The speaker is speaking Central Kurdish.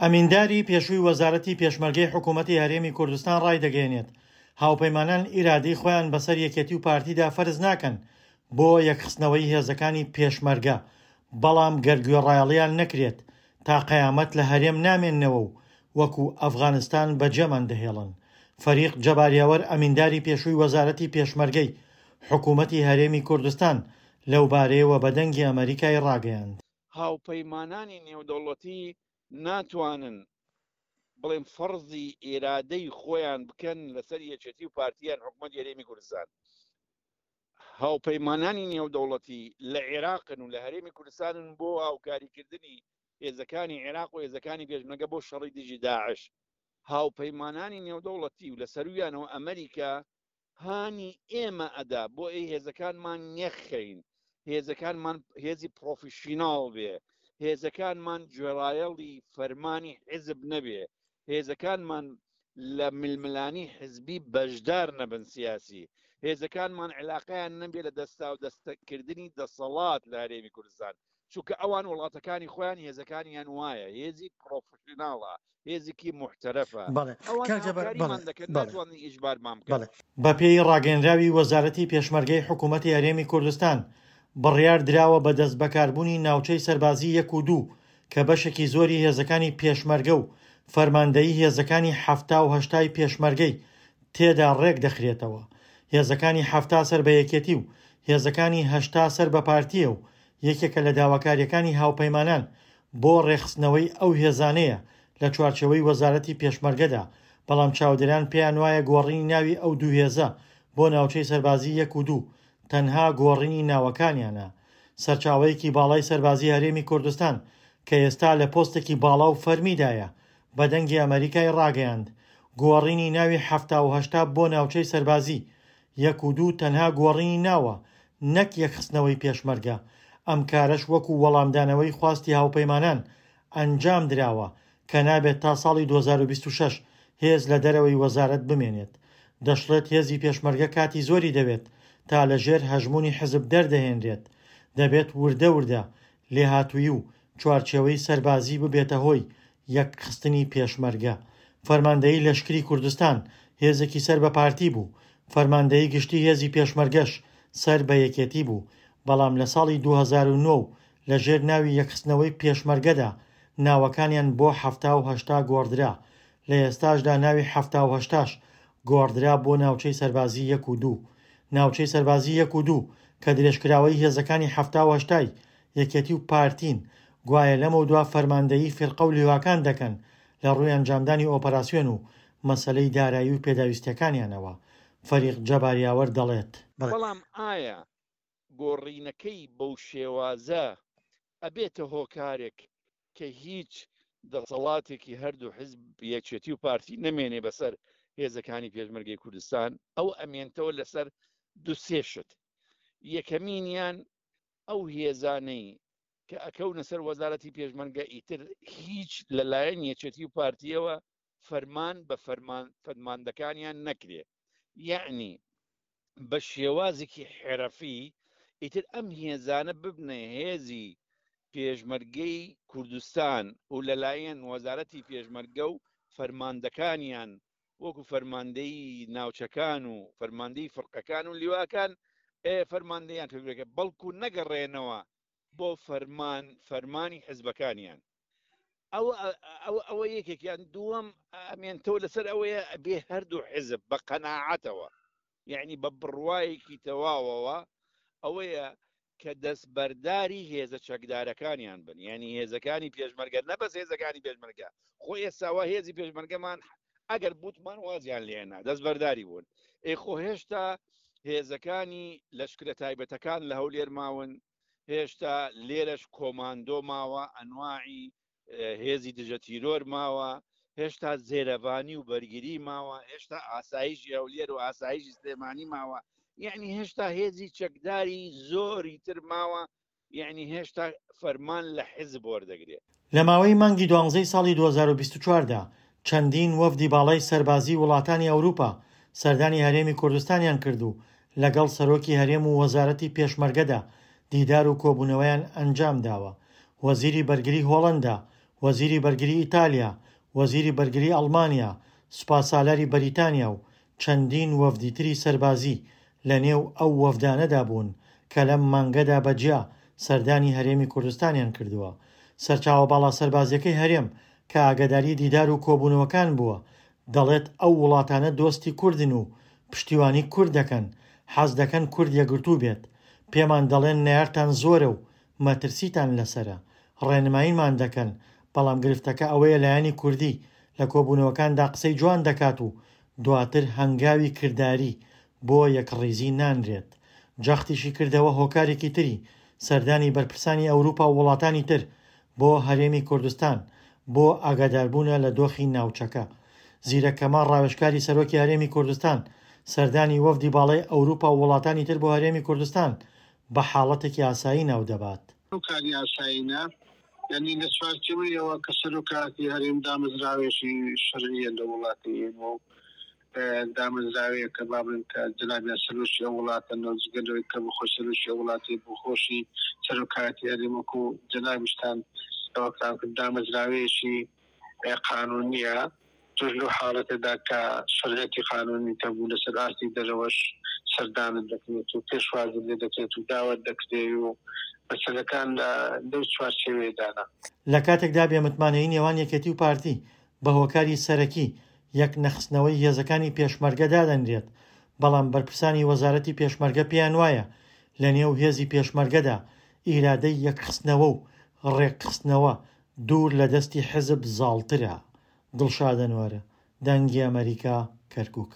ئەمینداری پێشووی وەزارەتی پێشمەرگەی حکوومەتی هەرێمی کوردستان ڕایدەگەیەنێت، هاوپەیمانان ئیرادەی خۆیان بەسەر یەکێتی و پارتیدا فەرز ناکەن بۆ یەکخستنەوەی هێزەکانی پێشمەرگە، بەڵام گەر گوێڕایەڵیان نەکرێت تا قەیامەت لە هەرێم نامێننەوە و وەکو ئەفغانستان بەجێمان دەهێڵن. فەریق جەبار یاوەر ئەمینداری پێشووی وەزارەتی پێشمەرگەی حکوومەتی هەرێمی کوردستان لەوبارەیەوە بە دەنگی ئەمەریکای ڕاگەیاند. هاوپەیمانانی نێودەوڵەتی ناتوانن بڵێن فەرزی ئیرادەی خۆیان بکەن لەسەر یەکێتی و پارتی یان حکومەتی هەرێمی کوردستان. هاوپەیمانانی نێودەوڵەتی لە عێراقن و لە هەرێمی کوردستانن بۆ هاوکاریکردنی هێزەکانی عێراق و هێزەکانی پێشمەرگە بۆ شەڕی دژی داعش. هاوپەیمانانی نێودەوڵەتی و لە سەرویانەوە ئەمریکا هانی ئێمە ئەدا بۆ ئەی هێزەکانمان یەکخەین، هێزەکانمان هێزی پڕۆفیشیناڵ بێ، هێزەکانمان گوێڕایەڵی فەرمانی حیزب نەبێ، هێزەکانمان لە ململانی حزبی بەشدار نەبن سیاسی، هێزەکانمان عیلاقەیان نەبێ لە دەستاودەستکردنی دەسەڵات لە هەرێمی کوردستان، چونکە ئەوان وڵاتەکانی خۆیان هێزەکانیان وایە، هێزی پڕۆفیشیناڵە، هێزێکی موحتەرەفە، بەڵێ ئەوان کاک جەبار بەڵێ هاوکاریمان دەکەن بەڵێ ناتوانن ئیجبارمان بکەن. بەڵێ. بەپێی ڕاگەیەنراوی وەزارەتی پێشمەرگەی حکوومەتی هەرێمی کوردستان، بڕیار دراوە بە دەستبەکاربوونی ناوچەی سەربازی یەک و دوو کە بەشێکی زۆری هێزەکانی پێشمەرگە و فەرماندەیی هێزەکانی 70 و هەشتای پێشمەرگەی تێدا ڕێک دەخرێتەوە. هێزەکانی 70 سەر بە یەکێتی و هێزەکانی 80 سەر بە پارتییە و یەکێکە لە داواکارییەکانی هاوپەیمانان بۆ ڕێکخستنەوەی ئەو هێزانەیە لە چوارچێوەی وەزارەتی پێشمەرگەدا، بەڵام چاودێران پێیانوایە گۆڕینی ناوی ئەو دوو هێزە بۆ ناوچەی سەربازی یەک و دوو تەنها گۆڕینی ناوەکانیانە. سەرچاوەیەکی باڵای سەربازی هەرێمی کوردستان کە ئێستا لە پۆستێکی باڵا و فەرمیدایە بە دەنگی ئەمەریکای ڕاگەیاند گۆڕینی ناوی 70 و 80 بۆ ناوچەی سەربازی یەک و دوو تەنها گۆڕینی ناوە نەک یەکخستنەوەی پێشمەرگە، ئەم کارەش وەکو وەڵامدانەوەی خواستی هاوپەیمانان ئەنجام دراوە کە نابێت تا ساڵی 2026 هێز لە دەرەوەی وەزارەت بمێنێت. دەشڵێت هێزی پێشمەرگە کاتی زۆری دەوێت تا لە ژێر هەژموونی حزب دەردەهێنرێت، دەبێت وردە وردە لێهاتوویی و چوارچێوەی سەربازی ببێتە هۆی یەکخستنی پێشمەرگە. فەرماندەیی لەشکری کوردستان هێزێکی سەر بە پارتی بوو، فەرماندەیی گشتی هێزی پێشمەرگەش سەر بە یەکێتی بوو، بەڵام لە ساڵی 2009 و لە ژێر ناوی یەکخستنەوەی پێشمەرگەدا ناوەکانیان بۆ 70 و 80 گۆڕدرا، لە ئێستاشدا ناوی 70 و هەشتاش گۆڕدرا بۆ ناوچەی سەربازی یەک و دوو. ناوچەی سەربازی یەک و دوو کە درێژکراوەی هێزەکانی 70 و هەشتای یەکێتی و پارتین، گوایە لەمەودوا فەرماندەیی فیرقە و لیواکان دەکەن لە ڕووی ئەنجامدانی ئۆپەراسیۆن و مەسەلەی دارایی و پێداویستیەکانیانەوە. فەریق جەبار یاوەر دەڵێت. بەڵام ئایا گۆڕینەکەی بەو شێوازە ئەبێتە هۆکارێک کە هیچ دەسەڵاتێکی هەردوو حزب یەکێتی و پارتی نەمێنێ بەسەر هێزەکانی پێشمەرگەی کوردستان؟ ئەو ئەمێنتەوە لەسەر دوو سێ شت. یەکەمینیان ئەو هێزانەی کە ئەکەونە سەر وەزارەتی پێشمەرگە ئیتر هیچ لەلایەن یەکێتی و پارتیەوە فەرمان بە فەرمان فەرماندەکانیان نەکرێ، یەعنی بە شێوازێکی حرەفی ئیتر ئەم هێزانە ببنە هێزی پێشمەرگەی کوردستان و لەلایەن وەزارەتی پێشمەرگە و فەرماندەکانیان وەکو فەرماندەی ناوچەکان و فەرماندەی فرقەکان و لیواکان فەرماندەیان پێبرێکە، بەڵکو نەگەڕێنەوە بۆ فەرمان فەرمانی حزبەکانیان. ئەوە ئەوە ئەوە یەکێکیان. دووەم ئەمێنتەوە لەسەر ئەوەیە ئەبێ هەردوو حزب بە قەناعەتەوە، یعنی بە بڕوایەکی تەواوەوە ئەوەیە کە دەستبەرداری هێزە چەکدارەکانیان بن، یعنی هێزەکانی پێشمەرگە، نە بەس هێزەکانی پێشمەرگە، خۆ ئێستاوا هێزی پێشمەرگەمان ئەگەر بوتمان وازیان لێنا دەستبەرداری بوون، ئێ خۆ هێشتا هێزەکانی لەشکرە تایبەتەکان لە هەولێر ماون، هێشتا لێرەش کۆماندۆ ماوە، ئەنواعی هێزی دژە تیرۆر ماوە، هێشتا زێرەڤانی و بەرگری ماوە، هێشتا ئاسایشی هەولێر و ئاسایشی سلێمانی ماوە، یعنی هێشتا هێزی چەکداری زۆری تر ماوە، یعنی هێشتا فەرمان لە حیزب وەردەگرێ. لە ماوەی مانگی دوانزەی ساڵی 2024 دا چەندین وەفدی باڵای سەربازیی وڵاتانی ئەوروپا سەردانی هەرێمی کوردستانیان کرد و لەگەڵ سەرۆکی هەرێم و وەزارەتی پێشمەرگەدا دیدار و کۆبوونەوەیان ئەنجامداوە. وەزیری بەرگری هۆڵەندا. وەزیری بەرگری ئیتالیا، وەزیری بەرگری ئەڵمانیا، سوپاسالاری بەریتانیا و چەندین وەفدی تری سەربازی لەنێو ئەو وەفدانەدا بوون کە لەم مانگەدا بە جیا سەردانی هەرێمی کوردستانیان کردووە. سەرچاوە باڵا سەربازییەکەی هەرێم کە ئاگاداری دیدار و کۆبوونەوەکان بووە، دەڵێت ئەو وڵاتانە دۆستی کوردن و پشتیوانی کورد دەکەن، حەز دەکەن کورد یەکگرتوو بێت. پێمان دەڵێن نەیارتان زۆرە و مەترسیتان لەسەرە، ڕێنماییمان دەکەن، بەڵام گرفتەکە ئەوەیە لایەنی کوردی لە کۆبوونەوەکاندا قسەی جوان دەکات و دواتر هەنگاوی کرداری بۆ یەکڕیزی نانرێت. جەختیشی کردەوە هۆکارێکی تری سەردانی بەرپرسانی ئەوروپا و وڵاتانی تر بۆ هەرێمی کوردستان بۆ ئاگاداربوونە لە دۆخی ناوچەکە. زیرەک کەمال ڕاوێژکاری سەرۆکی هەرێمی کوردستان سەردانی وەفدی باڵای ئەوروپا و وڵاتانی تر بۆ هەرێمی کوردستان بە حاڵەتێکی ئاسایی ناودەبات. ئەو کاری ئاسایی نا، یانی لە چوارچێوەی ئەوە کە سەرۆکایەتی هەرێم دامەزراوەیەکی شەرعییە لە وڵاتی ئێمە و دامەزراوەیەکە با بڵێین کە جەنابیان سەرۆکی ئەو وڵاتەن و جگە لەوەی کە بەخۆی سەرۆکی ئەو وڵاتەی بۆ خۆشی سەرۆکایەتی هەرێم وەکوو جەنابیشتان ئەوەتان کرد دامەزراوەیەکی قانوونییە. تۆش لەو حاڵەتەدا کە شەرعیەتی قانوونیت هەبوو لەسەر ئاستی دەرەوەش سەردانت دەکرێت و پێشوازیت لێ دەکرێت و داوەت دەکرێی و مەسەلەکان لەو چوارچێوەیەدانە. لە کاتێکدا بێ متمانەیی نێوان یەکێتی و پارتی بە هۆکاری سەرەکی یەک نەخستنەوەی هێزەکانی پێشمەرگە دادەنرێت، بەڵام بەرپرسانی وەزارەتی پێشمەرگە پێیان وایە لە نێو هێزی پێشمەرگەدا ئیرادەی یەکخستنەوە و ڕێکخستنەوە دوور لە دەستی حزب زاڵترە. دڵشاد ئەنوەر، دەنگی ئەمەریکا، کەرکوک.